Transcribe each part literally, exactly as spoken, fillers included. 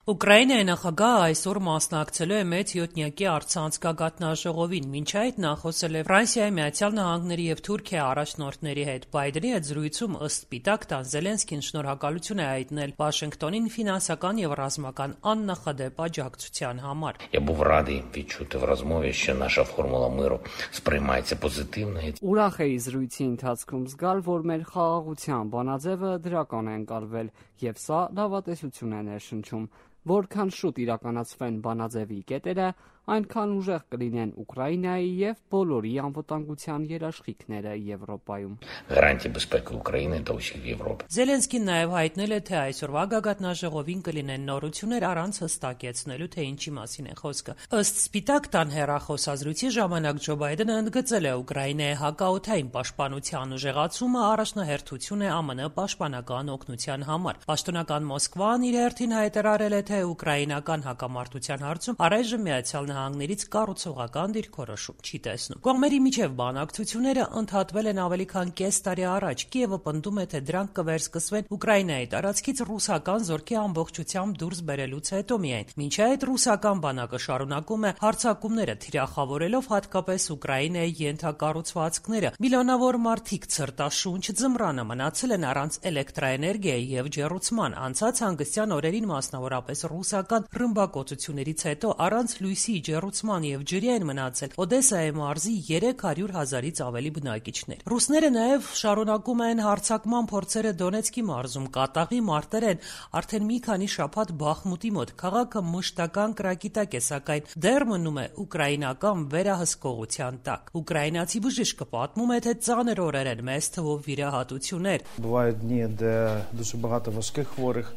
Ուկրաինայի նախագահը այսօր մասնակցելու է մեծ յոթնյակի արտցանցկագաթնաժողովին, մինչ այդ նա խոսել է Ֆրանսիայի, Միացյալ Նահանգների և Թուրքիայի առաջնորդների հետ։ Բայդենի հետ զրույցում ըստ Սպիտակ տան Զելենսկին շնորհակալություն է հայտնել Վաշինգտոնին ֆինանսական և ռազմական աննախադեպ աջակցության համար։ Я був радий відчути в розмові, що наша формула миру сприймається позитивно. Ուրախ էի զրույցի ընթացքում զգալ, որ մեր խաղաղության բանաձևը դրական է ընկալվել, եւ սա լավատեսություն է ներշնչում։ Որքան շուտ իրականացվեն բանաձևի կետերը, այնքան ուժեղ կլինեն Ուկրաինայի եւ բոլորի անվտանգության երաշխիքները Եվրոպայում։ Гарантії безпеки України та усіх в Європі. Զելենսկին նաև հայտնել է, թե այսօրվա գագաթնաժողովին կլինեն նորություններ առանց հստակեցնելու, թե ինչի մասին է խոսքը։ Ըստ Սպիտակ տան հեռախոսազրույցի ժամանակ Ջո Բայդենը ընդգծել է Ուկրաինայի հակաօդային պաշտպանության ուժեղացումը առաջնահերթություն է ԱՄՆ պաշտպանական օգնության համար։ Պաշտոնական Մոսկվան իր հերթին հայտարարել է, թե ուկրաինական հակամարտության հարցում առայժմ Միացյալ Նահանգներից կառուցողական դիրքորոշում չի տեսնում։ Կողմերի միջև բանակցությունները ընդհատվել են ավելի քան կես տարի առաջ։ Կիևը պնդում է, թե դրանք կվերսկսվեն Ուկրաինայի տարածքից ռուսական զորքի ամբողջությամբ դուրս բերելուց հետո միայն։ Մինչ այդ ռուսական բանակը շարունակում է հարձակումները, թիրախավորելով հատկապես Ուկրաինայի ենթակառուցվածքները։ Միլիոնավոր մարդիկ ցրտաշունչ ձմռանը մնացել են առանց էլեկտրաէներգիայի եւ ջեռուցման։ Անցած հանգստյան օրերին մասնավորապես ռուսական ռմբակոծություններից հետո առանց լույսի ջեռուցման եւ ջրի են մնացել Օդեսայի մարզի երեք հարյուր հազարից ավելի բնակիչներ։ Ռուսները նաեւ շարունակում են հարձակման փորձերը Դոնեցկի մարզում։ Կատաղի մարտեր են արդեն մի քանի շաբաթ Բախմուտի մոտ։ Քաղաքը մշտական կրակի տակ է, սակայն դեռ մնում է ուկրաինական վերահսկողության տակ։ Ուկրաինացի բժիշկը պատմում է, թե ծանր օրեր են, մեծ թվով վիրահատություններ։ Бувають дні, де дуже багато важких хворих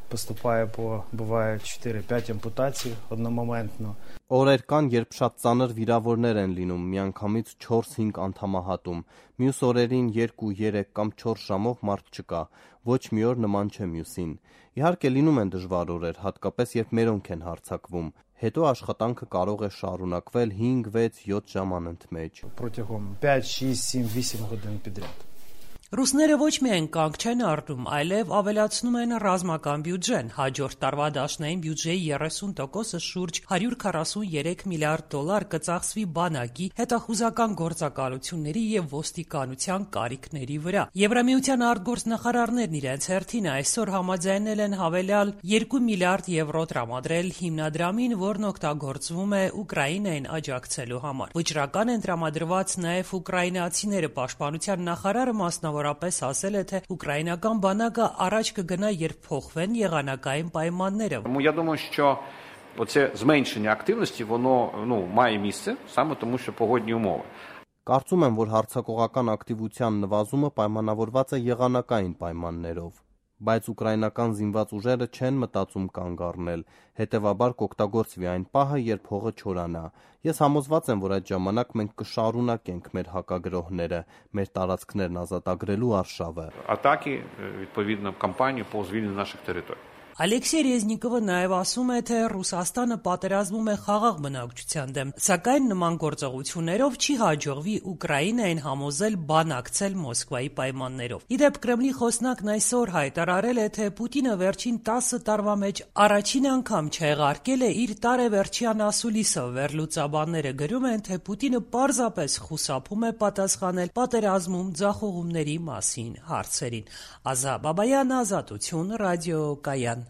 поступає по буває чотири-п'ять ампутацій одномоментно. Օրեր կան, երբ շատ ծանր վիրավորներ են լինում, միանգամից չորս-հինգ անդամահատում։ Մյուս օրերին երկու-երեք կամ չորս ժամով մարդ չկա։ Ոչ մի օր նման չէ մյուսին։ Իհարկե լինում են դժվար օրեր, հատկապես երբ մերոնք են հարձակվում։ Հետո աշխատանքը կարող է շարունակվել հինգ-վեց-յոթ ժամ անընդմեջ։ Протягом п'ять-шість-сім-вісім годин підряд. Ռուսները ոչ միայն կանգ չեն առնում, այլև ավելացնում են ռազմական բյուջեն։ Հաջորդ տարվա դաշնային բյուջեի երեսուն տոկոսը շուրջ հարյուր քառասուններեք միլիարդ դոլար կծախսվի բանակի, հետախուզական գործակալությունների եւ ոստիկանության կարիքների վրա։ Եվրամիության արտգործնախարարներն իրենց հերթին այսօր համաձայնել են հավելյալ երկու միլիարդ եվրո տրամադրել հիմնադրամին, որն օգտագործվում է Ուկրաինային աջակցելու համար։ Վճռական են տրամադրված նաեւ ուկրաինացիները։ Պաշտպանության նախարարը մասնավոր Որապես ասել է, թե ուկրաինական բանակը առաջ կգնա, երբ փոխվեն եղանակային պայմանները։ Тому я думаю, що оце зменшення активності, воно, ну, має місце, саме тому, що погодні умови. Կարծում եմ, որ հարձակողական ակտիվության նվազումը պայմանավորված է եղանակային պայմաններով, բայց ուկրաինական զինված ուժերը չեն մտածում կանգ առնել, հետևաբար կօգտագործվի այն պահը, երբ հողը չորանա։ Ես համոզված եմ, որ այդ ժամանակ մենք կշարունակենք մեր հակագրոհները, մեր տարածքներն ազատագրելու արշավը։ Атаки, відповідно, кампанію по звільненню наших територій. Ալեքսեյ Ռեզնիկովը նաև ասում է, թե Ռուսաստանը պատերազմում է խաղաղ բնակչության դեմ, սակայն նման գործողություններով չի հաջողվի Ուկրաինային համոզել բանակցել Մոսկվայի պայմաններով։ Իդեպ Կրեմլի խոսնակն այսօր հայտարարել է, թե Պուտինը վերջին տասը տարվա մեջ առաջին անգամ չեղարկել է իր տարեվերջյան ասուլիսը։ Վերլուծաբանները գրում են, թե Պուտինը պարզապես խուսափում է պատասխանել պատերազմում ձախողումների մասին հարցերին։ Ազա Բաբայան, Ազատություն, Ռադիո Կայան։